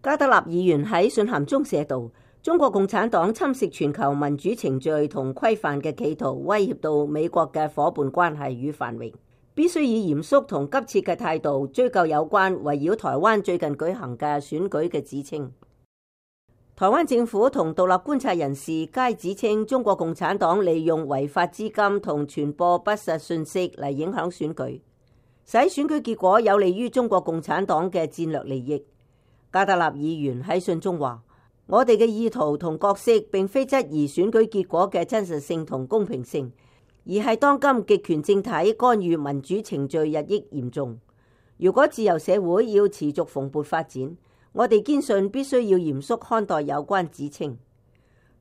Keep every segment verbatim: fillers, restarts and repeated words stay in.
加德納議員喺信函中寫道：中國共產黨侵蝕全球民主程序同規範嘅企圖，威脅到美國嘅夥伴關係與繁榮，必須以嚴肅同急切嘅態度追究有關圍繞台灣最近舉行嘅選舉嘅指稱。台灣政府同獨立觀察人士皆指稱，中國共產黨利用違法資金同傳播不實信息嚟影響選舉，使選舉結果有利於中國共產黨嘅戰略利益。加德納議員喺信中話：我哋嘅意圖同角色並非質疑選舉結果嘅真實性同公平性，而係當今極權政體干預民主程序日益嚴重。如果自由社會要持續蓬勃發展，我哋堅信必須要嚴肅看待有關指稱。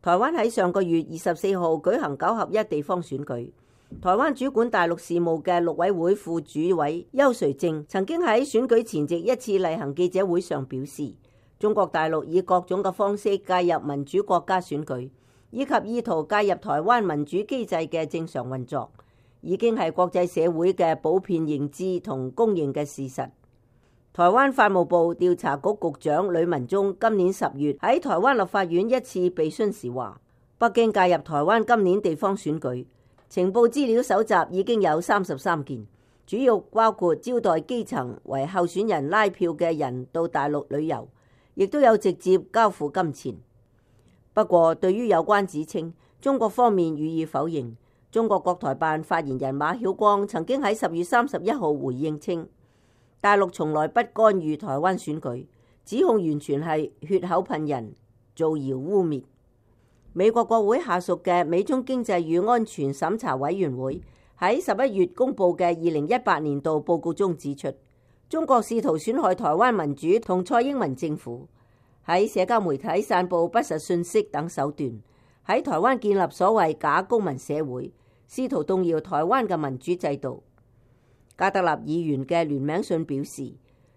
台灣喺上個月二十四號舉行九合一地方選舉，台灣主管大陸事務嘅陸委會副主委邱垂正曾經喺選舉前夕一次例行記者會上表示，中國大陸以各種嘅方式介入民主國家選舉，以及意圖介入台灣民主機制嘅正常運作，已經係國際社會嘅普遍認知同公認嘅事實。台灣法務部調查局局長呂文中今年十月喺台灣立法院一次被詢時話，北京介入台灣今年地方選舉，情報資料搜集已經有三十三件，主要包括招待基層為候選人拉票嘅人到大陸旅遊，亦都有直接交付金錢。不過，對於有關指稱，中國方面予以否認。中國國台辦發言人馬曉光曾經喺十月三十一號回應稱，大陸從來不干預台灣選舉，指控完全係血口噴人、造謠污衊。美國國會下屬嘅美中經濟與安全審查委員會喺十一月公佈嘅二零一八年度報告中指出，中國試圖損害台灣民主同蔡英文政府，喺社交媒體散佈不實信息等手段，喺台灣建立所謂假公民社會，試圖動搖台灣嘅民主制度。加德納議員嘅聯名信表示，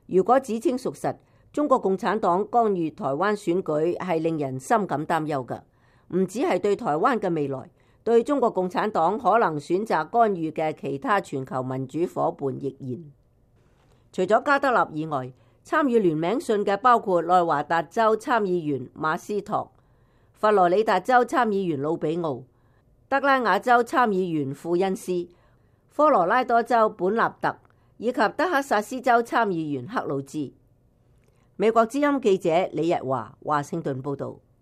如果指稱屬實，中國共產黨干預台灣選舉係令人深感擔憂嘅，唔只係對台灣嘅未來，對中國共產黨可能選擇干預嘅其他全球民主夥伴亦然。除咗加德納以外，參與聯名信嘅包括內華達州參議員馬斯托、佛羅里達州參議員魯比奧、德拉瓦州參議員庫恩斯、科羅拉多州本納特以及德克薩斯州參議員克魯茲。美國之音記者李日華華盛頓報道。